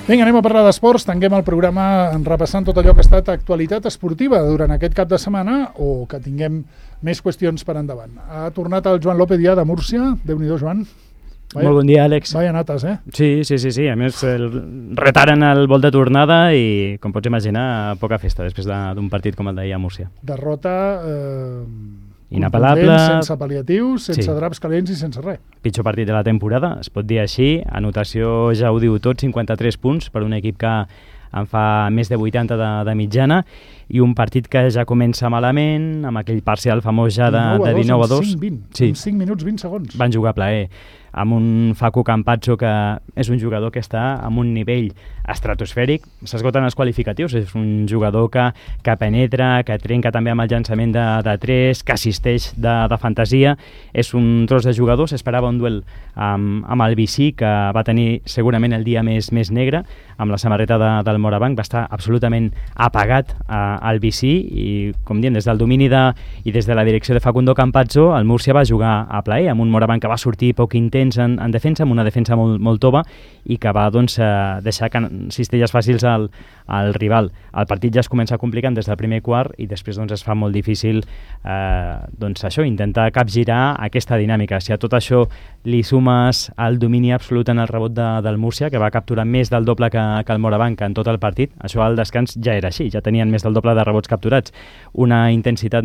Vinga, anem a parlar d'esports. Tanquem el programa repassant tot allò que ha estat actualitat esportiva durant aquest cap de setmana o que tinguem més qüestions per endavant. Ha tornat el Joan López ja de Múrcia. Déu-n'hi-do, Joan. Molt bon dia, Àlex. Vaya nates, eh? Sí. A més, retaren el vol de tornada i, com pots imaginar, poca festa després d'un partit com el d'ahir a Múrcia. Derrota inapel·lable, sense pal·liatius, sense draps calents i sense res. Pitjor partit de la temporada, es pot dir així. Anotació ja ho diu tot, 53 punts per un equip que en fa més de 80 de mitjana, i un partit que ja comença malament, amb aquell parcial famós ja de 19-2. 5 minuts, 20 segons. Van jugar a plaer, amb un Facu Campazzo que és un jugador que està amb un nivell estratosfèric. S'esgoten els qualificatius, és un jugador que penetra, que trenca també amb el llançament de 3, que assisteix de fantasia. És un tros de jugador. S'esperava un duel amb el Vicí, que va tenir segurament el dia més negre, amb la samarreta del Morabanc. Va estar absolutament apagat al Vicí i, com diem, des del domini i des de la direcció de Facundo Campazzo, el Múrcia va jugar a plaer, amb un Morabanc que va sortir poc intens en defensa, amb una defensa molt tova, i que va deixar cistelles fàcils al rival. El partit ja es comença complicant des del primer quart i després es fa molt difícil intentar capgirar aquesta dinàmica. Si a tot això li sumes el domini absolut en el rebot del Múrcia, que va capturar més del doble que el Morabanc en tot el partit, això al descans ja era així, ja tenien més del doble de rebots capturats, una intensitat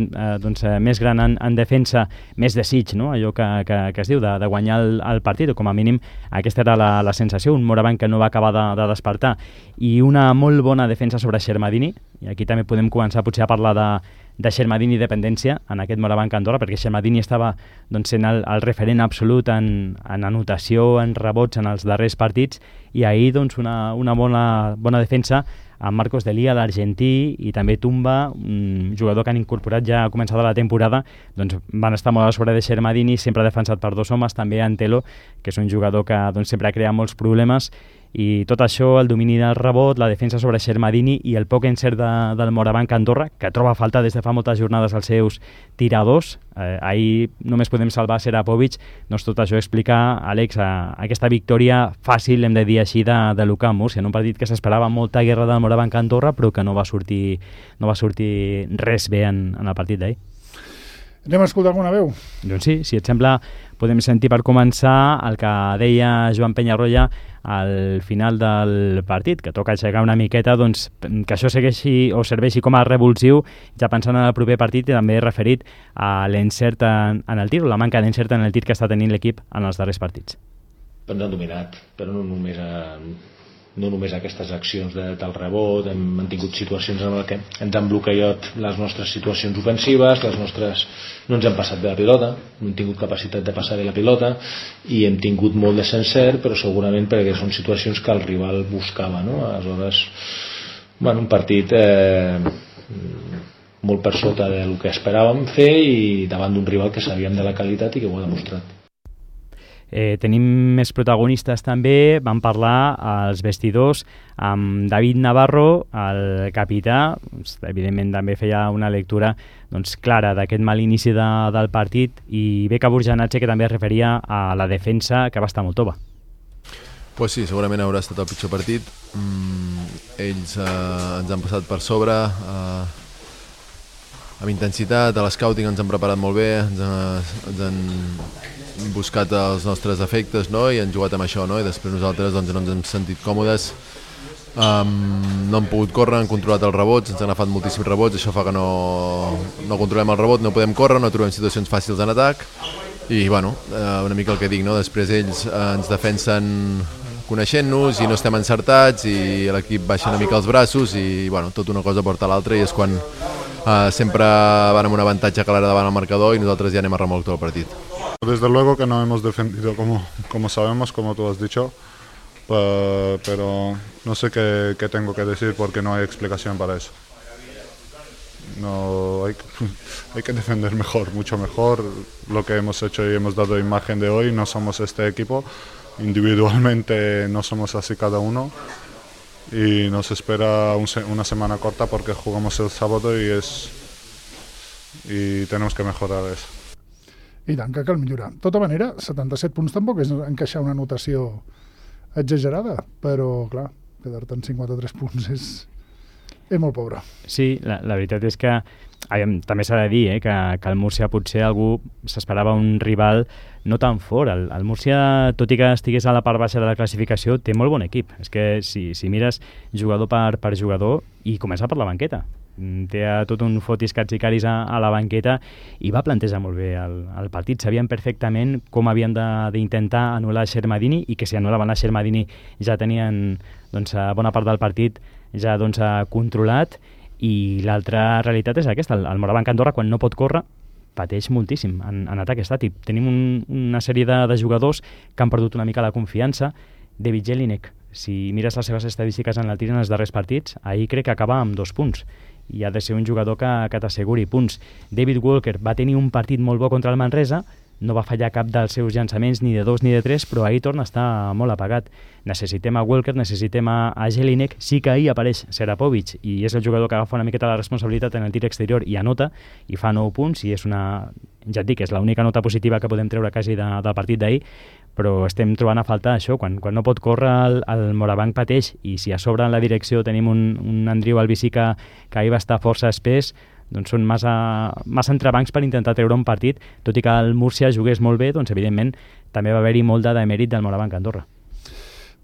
més gran en defensa, més desig, no? Allò que es diu de guanyar el partit, o com a mínim aquesta era la sensació, un Morabanc que no va acabar de despertar, i una molt bona defensa sobre Xermadini, i aquí també podem començar potser a parlar de Xermadini i dependència en aquest Morabanc Andorra, perquè Xermadini estava sent el referent absolut en anotació, en rebots en els darrers partits, i ahir una bona defensa amb Marcos Delia, l'argentí, i també Tumba, un jugador que han incorporat ja a començada la temporada. Van estar molt a sobre de Xermadini, sempre defensat per dos homes, també Antelo, que és un jugador que sempre crea molts problemes, i tot això, el domini del rebot, la defensa sobre Xermadini i el poc encert del Morabanc Andorra, que troba a faltar des de fa moltes jornades els seus tiradors. Ahir només podem salvar Serapovic. Tot això explica, Àlex, aquesta victòria fàcil, hem de dir així, de l'UCAM Múrcia, en un partit que s'esperava molta guerra del Morabanc Andorra, però que no va sortir res bé en el partit d'ahir. Anem a escoltar alguna veu? Doncs sí, si et sembla, podem sentir per començar el que deia Joan Penyarroya al final del partit, que toca aixecar una miqueta, que això segueixi o serveixi com a revulsiu, ja pensant en el proper partit, i també referit a l'encert en el tir, o la manca d'encert en el tir que està tenint l'equip en els darrers partits. Ens han dominat, però no només aquestes accions del rebot. Hem tingut situacions en què ens han bloquejat les nostres situacions ofensives, no ens han passat bé la pilota, no hem tingut capacitat de passar bé la pilota, i hem tingut molt de encert, però segurament perquè són situacions que el rival buscava, no? Aleshores, un partit molt per sota del que esperàvem fer, i davant d'un rival que sabíem de la qualitat i que ho ha demostrat. Tenim més protagonistes també. Vam parlar als vestidors amb David Navarro, el capità. Evidentment també feia una lectura clara d'aquest mal inici del partit, i Beka Burjanatxe, que també es referia a la defensa, que va estar molt tova. Pues sí, segurament haurà estat el pitjor partit. Ells ens han passat per sobre amb intensitat, a l'escouting ens han preparat molt bé, ens han buscat els nostres efectes, no? I han jugat amb això, no? I després nosaltres no ens hem sentit còmodes, no hem pogut córrer, han controlat els rebots, ens han agafat moltíssims rebots, això fa que no controlem el rebot, no podem córrer, no trobem situacions fàcils en atac, i una mica el que dic, no? Després ells ens defensen coneixent-nos i no estem encertats, i l'equip baixa una mica els braços, i tot una cosa porta a l'altra, i és quan sempre van amb un avantatge clar davant el marcador i nosaltres ja anem a remolc tot el partit. Desde luego que no hemos defendido como sabemos, como tú has dicho, pero no sé qué tengo que decir porque no hay explicación para eso. No, hay que defender mejor, mucho mejor lo que hemos hecho y hemos dado imagen de hoy. No somos este equipo, individualmente no somos así cada uno, y nos espera una semana corta porque jugamos el sábado y tenemos que mejorar eso. I tant, que cal millorar. De tota manera, 77 punts tampoc és encaixar una notació exagerada, però, clar, quedar-te en 53 punts és molt pobre. Sí, la veritat és que també s'ha de dir que el Múrcia potser algú s'esperava un rival no tan fort. El Múrcia, tot i que estigués a la part baixa de la classificació, té molt bon equip. És que si mires jugador per jugador, i comença per la banqueta, té tot un fotis catsicaris a la banqueta i va plantejar molt bé el partit. Sabien perfectament com havien d'intentar anul·lar Shermadini, i que si anul·laven a Shermadini ja tenien bona part del partit ja controlat. I l'altra realitat és aquesta, el Morabanc Andorra, quan no pot córrer, pateix moltíssim en atac estàtic. Tenim una sèrie de jugadors que han perdut una mica la confiança. David Jelinek, si mires les seves estadístiques en el tir en els darrers partits, ahir crec que acaba amb 2 punts, i ha de ser un jugador que t'asseguri punts. David Walker va tenir un partit molt bo contra el Manresa, no va fallar cap dels seus llançaments, ni de 2 ni de 3, però ahir torna a estar molt apagat. Necessitem a Walker, necessitem a Jelinek. Sí que ahir apareix Serapovic, i és el jugador que agafa una miqueta la responsabilitat en el tir exterior i anota, i fa 9 punts, i és ja et dic, és l'única nota positiva que podem treure quasi del partit d'ahir, però estem trobant a faltar això. Quan no pot córrer, el Morabanc pateix, i si a sobre en la direcció tenim un Andriu Albicí que ahir va estar força espès, doncs són massa entrebancs per intentar treure un partit. Tot i que el Múrcia jugués molt bé, doncs evidentment també va haver-hi molt de demèrit del Morabanc Andorra.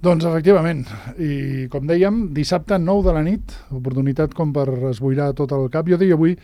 Doncs efectivament, i com dèiem, dissabte 9 de la nit, oportunitat com per esboirar tot el cap. Jo deia avui,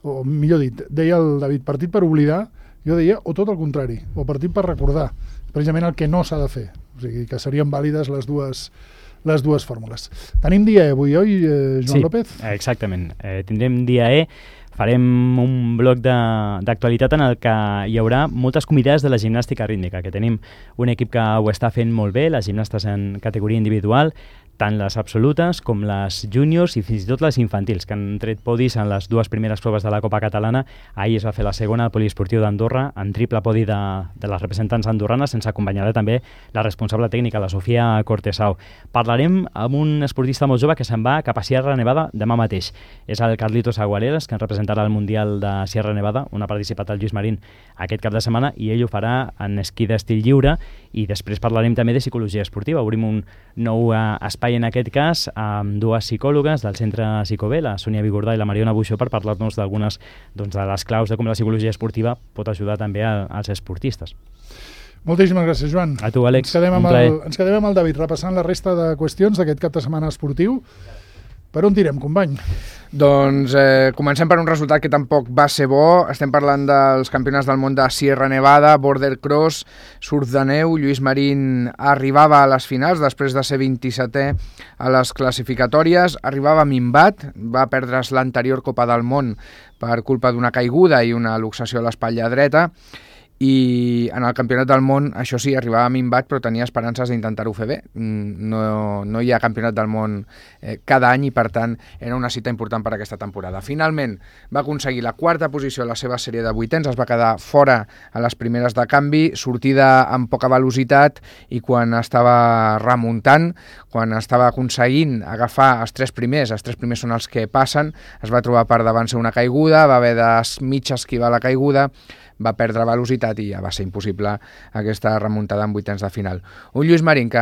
o millor dit, deia el David, partit per oblidar, jo deia, o tot el contrari, o partit per recordar, precisament el que no s'ha de fer. O sigui, que serien vàlides les dues fórmules. Tenim dia E avui, oi, Joan López? Sí, exactament. Tindrem dia E, farem un bloc d'actualitat en el que hi haurà moltes convidades de la gimnàstica rítmica, que tenim un equip que ho està fent molt bé, les gimnastes en categoria individual, tant les absolutes com les júniors i fins i tot les infantils, que han tret podis en les 2 primeres proves de la Copa Catalana. Ahir es va fer la segona al Poliesportiu d'Andorra, en triple podi de les representants andorranes, sense acompanyar també la responsable tècnica, la Sofia Cortesau. Parlarem amb un esportista molt jove que se'n va cap a Sierra Nevada demà mateix. És el Carlitos Agualeras, que ens representarà al Mundial de Sierra Nevada, on ha participat el Lluís Marín aquest cap de setmana, i ell ho farà en esquí d'estil lliure. I després parlarem també de psicologia esportiva. Obrim un nou espai, en aquest cas, amb 2 psicòlogues del Centre Psicobé, la Sònia Vigordà i la Mariona Buixó, per parlar-nos d'algunes de les claus de com la psicologia esportiva pot ajudar també als esportistes. Moltíssimes gràcies, Joan. A tu, Àlex. Ens quedem amb el David repassant la resta de qüestions d'aquest cap de setmana esportiu. Per on tirem, company? Doncs comencem per un resultat que tampoc va ser bo. Estem parlant dels campionats del món de Sierra Nevada, border cross, surf de neu. Lluís Marín arribava a les finals després de ser 27è a les classificatòries. Arribava minvat, va perdre's l'anterior Copa del Món per culpa d'una caiguda i una luxació a l'espatlla dreta. I en el campionat del món, això sí, arribava minvat, però tenia esperances d'intentar-ho fer bé. No hi ha campionat del món cada any, i per tant era una cita important per aquesta temporada. Finalment va aconseguir la 4a posició a la seva sèrie de vuitens, es va quedar fora a les primeres de canvi, sortida amb poca velocitat, i quan estava remuntant, quan estava aconseguint agafar els 3 primers són els que passen, es va trobar per davant ser una caiguda, va haver de mig esquivar la caiguda, va perdre velocitat i ja va ser impossible aquesta remuntada en vuitens de final. Un Lluís Marín que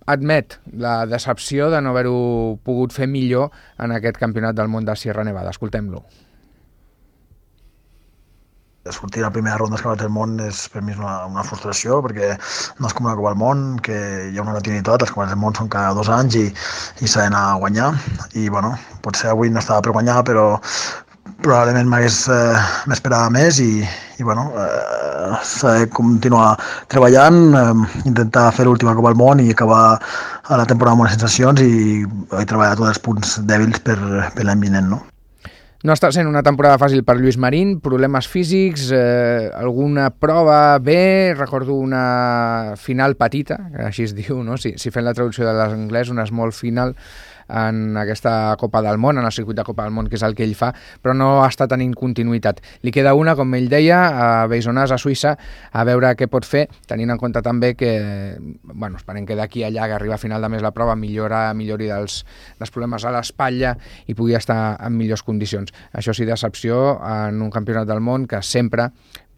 admet la decepció de no haver-ho pogut fer millor en aquest campionat del món de Sierra Nevada. Escoltem-lo. Sortir a la primera ronda dels campionats del món és per mi una frustració, perquè no és com una Copa del Món, que hi ha una continuïtat, els campionats del món són cada 2 anys i s'ha d'anar a guanyar, i bueno, potser avui no estava per guanyar, però probablement m'esperava més, i bueno, s'ha de continuar treballant, intentar fer l'última Copa del Món i acabar a la temporada amb bones sensacions i treballar tots els punts dèbils per l'any vinent, no? No està sent una temporada fàcil per Lluís Marín, problemes físics, alguna prova bé, recordo una final petita, que així es diu, no? Si fem la traducció de l'anglès, una small final, en aquesta Copa del Món, en el circuit de Copa del Món, que és el que ell fa, però no està tenint continuïtat. Li queda una, com ell deia, a Beisonàs, a Suïssa, a veure què pot fer, tenint en compte també que, bueno, esperem que d'aquí a allà, que arriba a final de mes la prova, millori dels problemes a l'espatlla i pugui estar en millors condicions. Això sí, decepció en un campionat del món que sempre,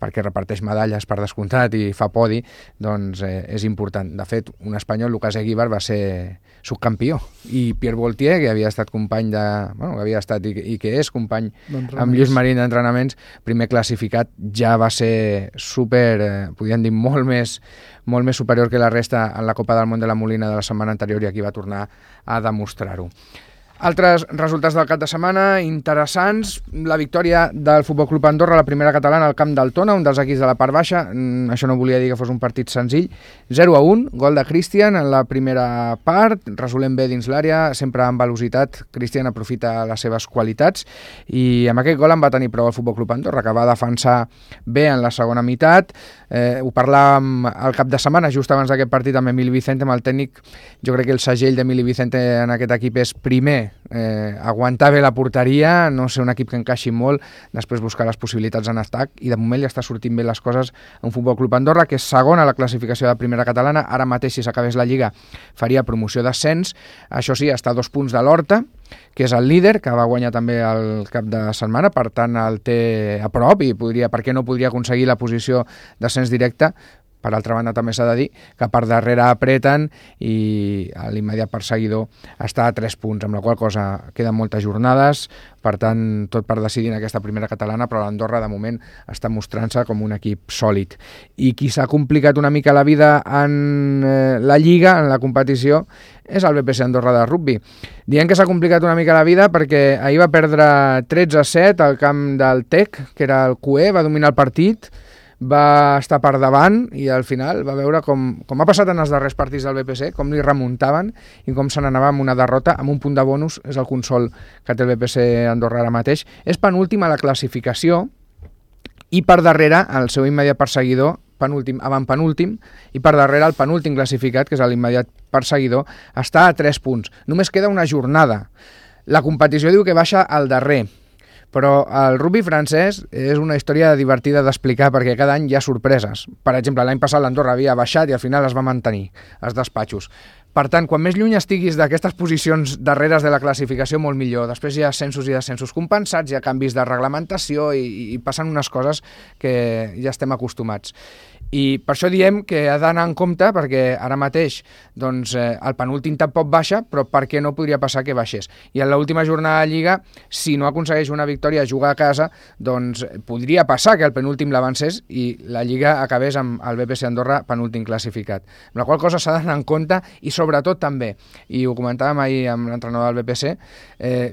perquè reparteix medalles per descomptat i fa podi, doncs és important. De fet, un espanyol, Lucas Eguíbar, va ser subcampió, i Pierre Voltier, que havia estat company de... Bueno, que havia estat i que és company amb Lluís Marín d'entrenaments, primer classificat, ja va ser super, podríem dir, molt més superior que la resta en la Copa del Món de la Molina de la setmana anterior, i aquí va tornar a demostrar-ho. Altres resultats del cap de setmana interessants: la victòria del Futbol Club Andorra, la primera catalana, al camp del Tona, un dels equips de la part baixa. Això no volia dir que fos un partit senzill. 0-1, gol de Cristian en la primera part, resolent bé dins l'àrea, sempre amb velocitat. Cristian aprofita les seves qualitats, i amb aquest gol en va tenir prou el Futbol Club Andorra, que va defensar bé en la segona meitat. Ho parlàvem al cap de setmana, just abans d'aquest partit, amb Emili Vicente, amb el tècnic. Jo crec que el segell d'Emili Vicente en aquest equip és, primer, aguantar bé la porteria, no ser un equip que encaixi molt, després buscar les possibilitats en atac, i de moment li està sortint bé les coses a un Futbol Club Andorra, que és segon a la classificació de primera catalana. Ara mateix, si s'acabés la Lliga, faria promoció d'ascens. Això sí, està a 2 punts de l'Horta, que és el líder, que va guanyar també el cap de setmana, per tant el té a prop, i per què no podria aconseguir la posició d'ascens directe. Per altra banda, també s'ha de dir que per darrere apreten, i l'immediat perseguidor està a 3 punts, amb la qual cosa queden moltes jornades, per tant, tot per decidir en aquesta primera catalana, però l'Andorra de moment està mostrant-se com un equip sòlid. I qui s'ha complicat una mica la vida en la Lliga, en la competició, és el BPC Andorra de rugbi. Diem que s'ha complicat una mica la vida perquè ahir va perdre 13-7 al camp del TEC, que era el QE, va dominar el partit, va estar per davant, i al final va veure com ha passat en els darrers partits del BPC, com li remuntaven i com se n'anava amb una derrota, amb un punt de bonus. És el consol que té el BPC Andorra ara mateix. És penúltim a la classificació, i per darrere el seu immediat perseguidor, avantpenúltim, i per darrere el penúltim classificat, que és l'immediat perseguidor, està a 3 punts. Només queda una jornada. La competició diu que baixa al darrer, però el rugbi francès és una història divertida d'explicar, perquè cada any hi ha sorpreses. Per exemple, l'any passat l'Andorra havia baixat i al final es va mantenir als despatxos. Per tant, quan més lluny estiguis d'aquestes posicions darreres de la classificació, molt millor. Després hi ha ascensos i descensos compensats, hi ha canvis de reglamentació i passen unes coses que ja estem acostumats. I per això diem que ha d'anar en compte, perquè ara mateix doncs, el penúltim tampoc baixa, però per què no podria passar que baixés? I en l'última jornada de Lliga, si no aconsegueix una victòria a jugar a casa, doncs podria passar que el penúltim l'avancés i la Lliga acabés amb el BPC Andorra penúltim classificat. Amb la qual cosa s'ha d'anar en compte, i sobretot també, i ho comentàvem ahir amb l'entrenador del BPC,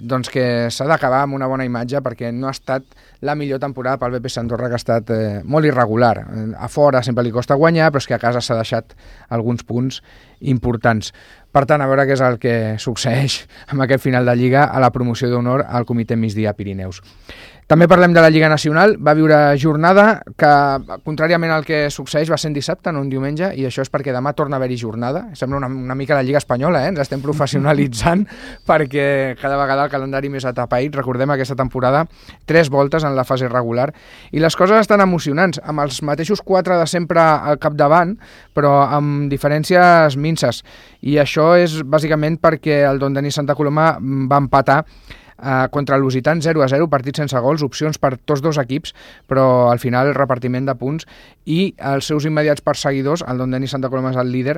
doncs que s'ha d'acabar amb una bona imatge, perquè no ha estat la millor temporada pel BPC Andorra, que ha estat molt irregular. A fora sempre li costa guanyar, però és que a casa s'ha deixat alguns punts importants. Per tant, a veure què és el que succeeix amb aquest final de Lliga a la promoció d'honor al Comitè Migdia Pirineus. També parlem de la Lliga Nacional. Va viure jornada que, contràriament al que succeeix, va ser en dissabte, no en diumenge, i això és perquè demà torna a haver-hi jornada. Sembla una mica la Lliga Espanyola, ens estem professionalitzant, perquè cada vegada el calendari més atapeït. Recordem aquesta temporada 3 voltes en la fase regular, i les coses estan emocionants, amb els mateixos 4 de sempre al capdavant, però amb diferències minces. I això és bàsicament perquè el Don Denis Santa Coloma va empatar contra el Lusitans 0-0, partit sense gols, opcions per tots dos equips, però al final repartiment de punts, i els seus immediats perseguidors, el Don Denis Santa Coloma és el líder,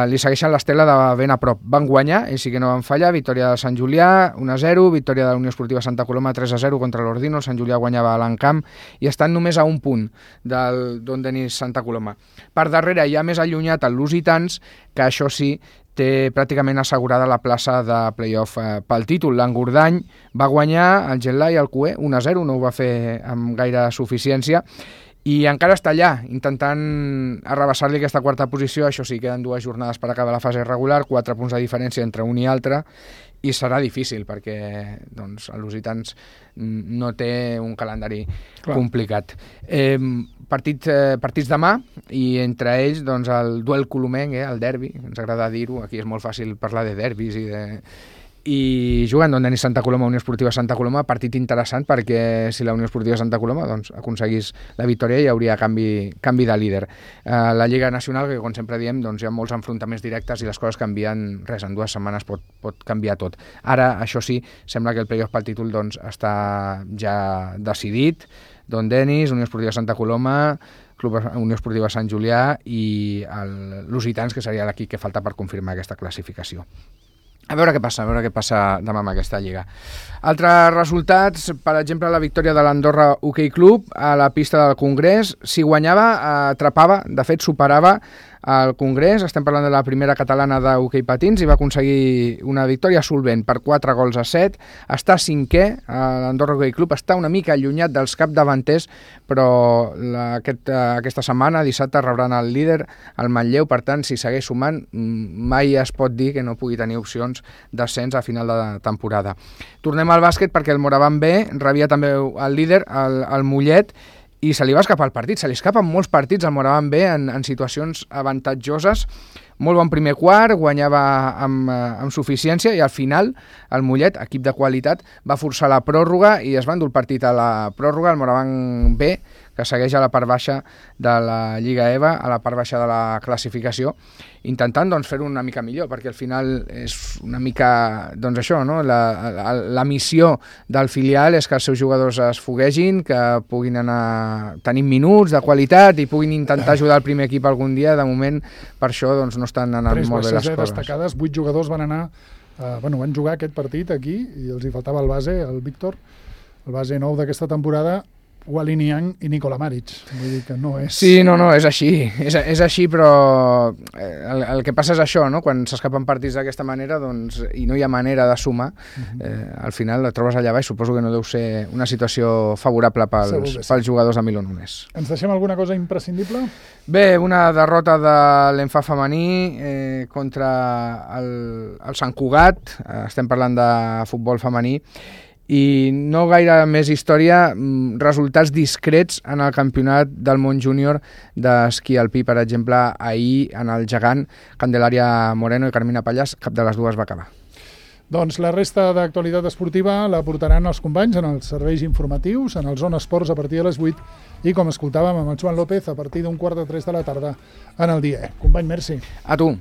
li segueixen l'estela de ben a prop. Van guanyar, i sí que no van fallar, victòria de Sant Julià 1-0, victòria de la Unió Esportiva Santa Coloma 3-0 contra l'Ordino, el Sant Julià guanyava a l'Encamp, i estan només a un punt del Don Denis Santa Coloma. Per darrere hi ha més allunyat el Lusitans, que això sí, té pràcticament assegurada la plaça de play-off pel títol. L'Engordany va guanyar el Getlai al QE 1-0, no ho va fer amb gaire suficiència, i encara està allà, intentant arrabassar-li aquesta quarta posició. Això sí, queden 2 jornades per acabar la fase regular, 4 punts de diferència entre un i altre, i serà difícil perquè doncs, el Lusitans no té un calendari complicat. Partits demà, i entre ells doncs, el duel colomenc, el derbi, ens agrada dir-ho, aquí és molt fàcil parlar de derbis i juguen Don Denis Santa Coloma, Unió Esportiva Santa Coloma, partit interessant perquè si la Unió Esportiva Santa Coloma doncs, aconseguís la victòria hi hauria canvi de líder. La Lliga Nacional, que com sempre diem, doncs, hi ha molts enfrontaments directes i les coses canvien, res, en 2 setmanes pot canviar tot. Ara, això sí, sembla que el playoff pel títol doncs, està ja decidit. Don Denis, Unió Esportiva Santa Coloma, Club Unió Esportiva Sant Julià i l'Lusitans, que seria l'equip que falta per confirmar aquesta classificació. A veure què passa demà amb aquesta lliga. Altres resultats, per exemple, la victòria de l'Andorra Hockey Club a la pista del Congrés. Si guanyava, atrapava, de fet superava al Congrés. Estem parlant de la primera catalana de hoquei patins i va aconseguir una victòria solvent per 4-7. Està 5è, l'Andorra Hockey Club està una mica allunyat dels capdavanters, però aquesta setmana, dissabte, rebran el líder, el Manlleu. Per tant, si segueix sumant, mai es pot dir que no pugui tenir opcions d'ascens a final de temporada. Tornem al bàsquet perquè el Moraván B rebia també el líder, el Mollet, i se li va escapar el partit. Se li escapen molts partits al Moraván B en situacions avantatjoses. Molt bon primer quart, guanyava amb suficiència i al final el Mollet, equip de qualitat, va forçar la pròrroga i es va endur el partit a la pròrroga. El Moraván B, que segueix a la part baixa de la Lliga EVA, a la part baixa de la classificació, intentant doncs, fer-ho una mica millor, perquè al final és una mica doncs, això, no? La missió del filial és que els seus jugadors es foguegin, que puguin anar tenint minuts de qualitat i puguin intentar ajudar el primer equip algun dia. De moment, per això doncs, no estan anant molt bé les coses. Destacades, 8 jugadors van anar van jugar aquest partit aquí i els hi faltava el base, el Víctor, el base nou d'aquesta temporada, Wally Niang i Nikola Maric. Vull dir que no és... Sí, no, és així. És així, però el que passa és això, no? Quan s'escapen partits d'aquesta manera doncs, i no hi ha manera de sumar, al final et trobes allà baix. Suposo que no deu ser una situació favorable pels jugadors de Milon Unes. Ens deixem alguna cosa imprescindible? Bé, una derrota de l'Enfa femení contra el Sant Cugat. Estem parlant de futbol femení. I no gaire més història, resultats discrets en el campionat del món júnior d'esquí alpí, per exemple, ahir en el gegant, Candelaria Moreno i Carmina Pallàs, cap de les dues va acabar. Doncs la resta d'actualitat esportiva la portaran els companys en els serveis informatius, en el Zona Esports a partir de les 8 i, com escoltàvem amb el Joan López, a partir d'15:45 de la tarda en el dia. Company, merci. A tu.